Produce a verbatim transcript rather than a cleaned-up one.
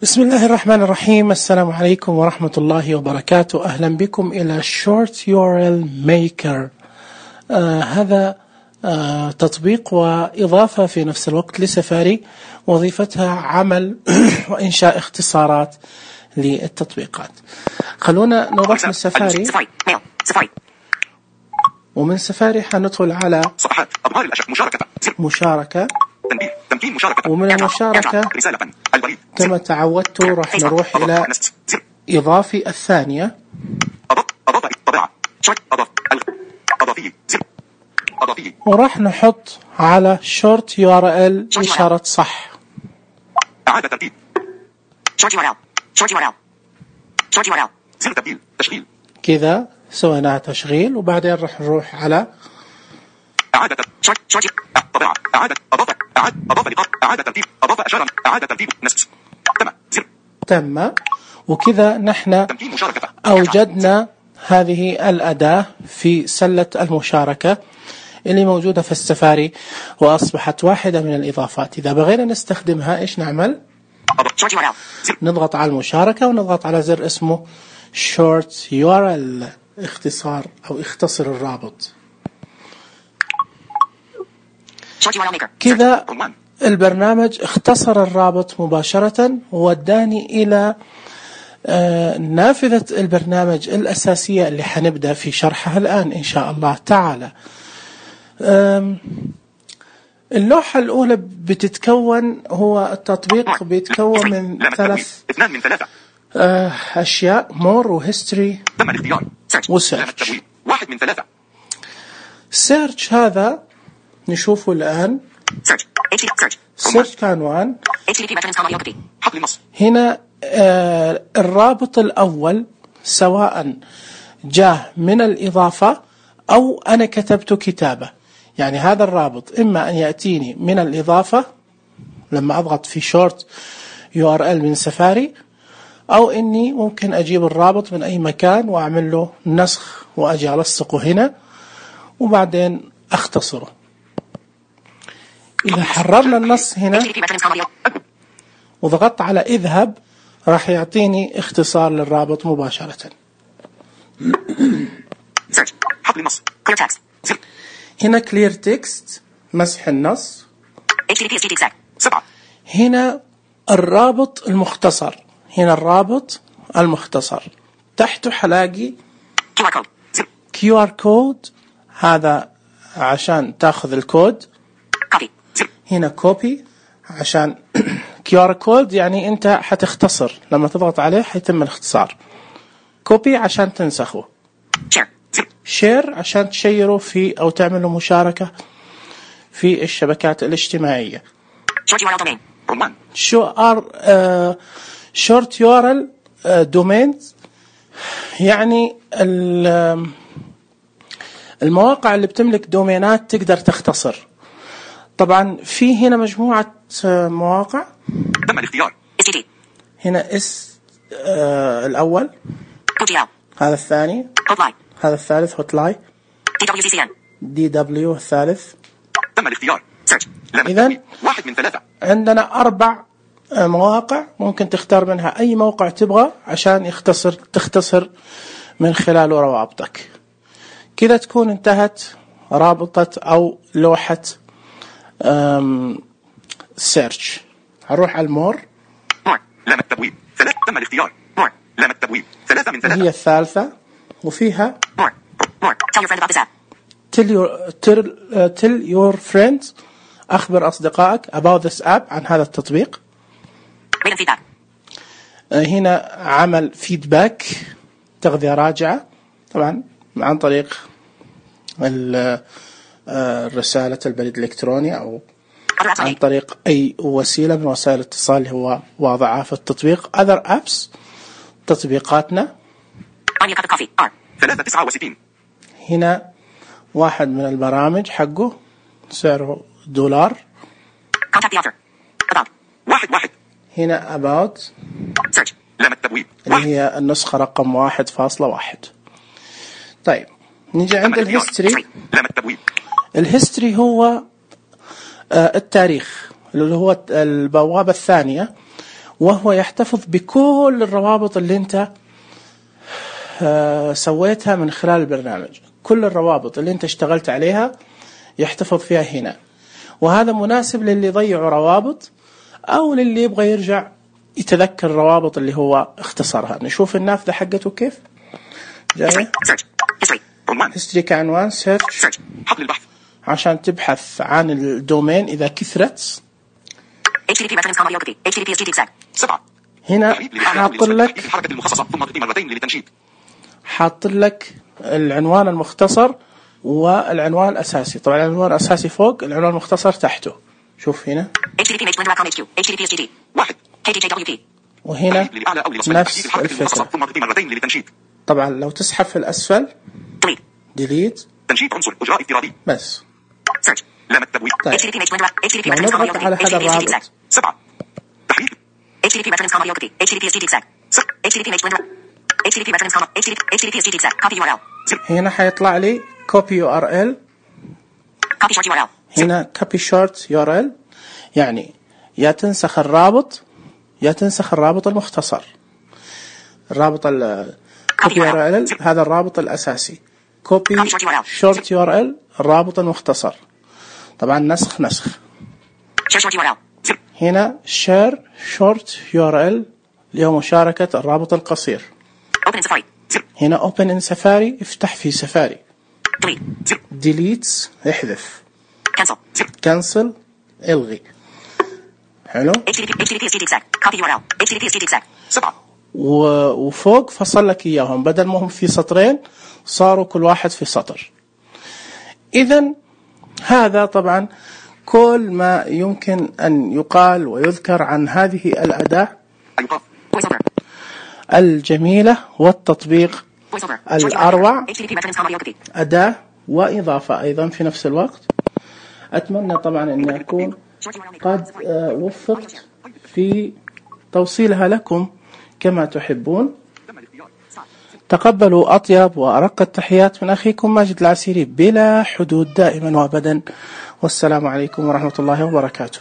بسم الله الرحمن الرحيم. السلام عليكم ورحمة الله وبركاته. أهلا بكم إلى Short يو آر إل Maker. آه هذا آه تطبيق وإضافة في نفس الوقت لسفاري، وظيفتها عمل وإنشاء اختصارات للتطبيقات. خلونا نروح من السفاري، ومن سفاري حندخل على صفحات أظهار الأشياء مشاركة مشاركة تنبيه تمكين مشاركة، ومن المشاركة رسالة البريد كما تعودت راح نروح إلى إضافي الثانية. أضاف أضاف الطبيعة أضاف أضافي زر أضافي وراح نحط على Short يو آر إل إشارة صح. إعادة ترتيب Short يو آر إل Short يو آر إل Short يو آر إل زر تبديل تشغيل. كذا سوينا تشغيل، وبعدين راح نروح على إعادة شورت شورت طبيعة إعادة أضاف إعادة أضاف لقاء إعادة ترتيب أضاف أشارة إعادة ترتيب نسخ تم زر تم. وكذا نحن أوجدنا هذه الأداة في سلة المشاركة اللي موجودة في السفاري، وأصبحت واحدة من الإضافات. إذا بغينا نستخدمها إيش نعمل؟ نضغط على المشاركة ونضغط على زر اسمه Short يو آر إل، اختصار أو اختصر الرابط. كذا البرنامج اختصر الرابط مباشرة ووداني إلى نافذة البرنامج الأساسية اللي حنبدأ في شرحها الآن إن شاء الله تعالى. اللوحة الأولى بتتكون، هو التطبيق بيتكون من ثلاث أشياء: مور وهيستوري وسيرش. واحد من ثلاثة. سيرش هذا نشوفه الآن. سيرش كعنوان. هنا آه الرابط الأول سواء جاء من الإضافة أو أنا كتبته كتابة، يعني هذا الرابط إما أن يأتيني من الإضافة لما أضغط في شورت يو آر إل من سفاري، أو إني ممكن أجيب الرابط من أي مكان وأعمل له نسخ وأجي ألصقه هنا وبعدين أختصره. إذا حررنا النص هنا وضغطت على اذهب راح يعطيني اختصار للرابط مباشرة. هنا clear text مسح النص. هنا الرابط المختصر، هنا الرابط المختصر تحته حلاقي كيو آر كود، هذا عشان تاخذ الكود. هنا كوبي عشان كيو آر كود يعني انت حتختصر، لما تضغط عليه حيتم الاختصار. كوبي عشان تنسخه. شير عشان تشيره في او تعمله مشاركة في الشبكات الاجتماعية. شو ار شورت يو ار ال دومينز يعني المواقع اللي بتملك دومينات تقدر تختصر. طبعا في هنا مجموعة مواقع. تم الاختيار. هنا اس آه الأول، هذا الثاني، هذا الثالث هوت لاي، دي دبليو الثالث. تم الاختيار. إذن واحد من ثلاثة. عندنا أربع مواقع ممكن تختار منها أي موقع تبغى عشان يختصر تختصر من خلاله روابطك. كذا تكون انتهت رابطة أو لوحة سيرش. هنروح على المور. مور لام التبويب ثلاثة. تم الاختيار. مور لام التبويب ثلاثة من ثلاثة. هي الثالثة وفيها مور مور tell your friend about this app. tell your tell, uh, tell your friends أخبر أصدقائك about this app عن هذا التطبيق. read and feedback. هنا عمل فيدباك تغذية راجعة، طبعا عن طريق الرسالة البريد الإلكتروني أو عن طريق أي وسيلة من وسائل الاتصال اللي هو واضعها في التطبيق. other apps تطبيقاتنا. ثلاثة تسعة وستين. هنا واحد من البرامج حقه سعره دولار. واحد واحد. هنا about search لام التبويب اللي هي النسخة رقم واحد فاصلة واحد. طيب نيجي عند الهيستوري. لام التبويب. الهيستوري هو التاريخ اللي هو البوابة الثانية، وهو يحتفظ بكل الروابط اللي انت سويتها من خلال البرنامج. كل الروابط اللي انت اشتغلت عليها يحتفظ فيها هنا، وهذا مناسب للي يضيعوا روابط او للي يبغى يرجع يتذكر الروابط اللي هو اختصرها. نشوف النافذة حقته كيف جاية. هيستوري كعنوان، سيرش حقل البحث عشان تبحث عن الدومين إذا كثرت. سبعة. هنا حاط لك الحركة المخصصة ثم اضغط مرتين للتنشيط. حاط لك العنوان المختصر والعنوان الأساسي. طبعا العنوان الأساسي فوق، العنوان المختصر تحته. شوف هنا واحد. وهنا نفس الفكرة. ثم اضغط مرتين للتنشيط. طبعا لو تسحب في الأسفل ديليت، تنشيط عنصر اجراء افتراضي بس. لا مكتب. طيب لو نضغط على هذا الرابط سبعة. تحريك هنا حيطلع لي copy يو آر إل. هنا copy short يو آر إل، يعني يا تنسخ الرابط يا تنسخ الرابط المختصر. الرابط ال copy يو آر إل هذا الرابط الأساسي، copy short يو آر إل الرابط المختصر. طبعا نسخ نسخ. هنا share short يو آر إل اللي هو مشاركة الرابط القصير. هنا open in safari، افتح في سفاري. delete احذف. cancel الغي. حلو. وفوق فصل لك اياهم، بدل ما هم في سطرين صاروا كل واحد في سطر. إذن هذا طبعا كل ما يمكن أن يقال ويذكر عن هذه الأداة الجميلة والتطبيق الأروع. أداة وإضافة أيضا في نفس الوقت. أتمنى طبعا أن أكون قد وفقت في توصيلها لكم كما تحبون. تقبلوا أطيب وأرق التحيات من أخيكم ماجد العسيري بلا حدود دائما وأبدا، والسلام عليكم ورحمة الله وبركاته.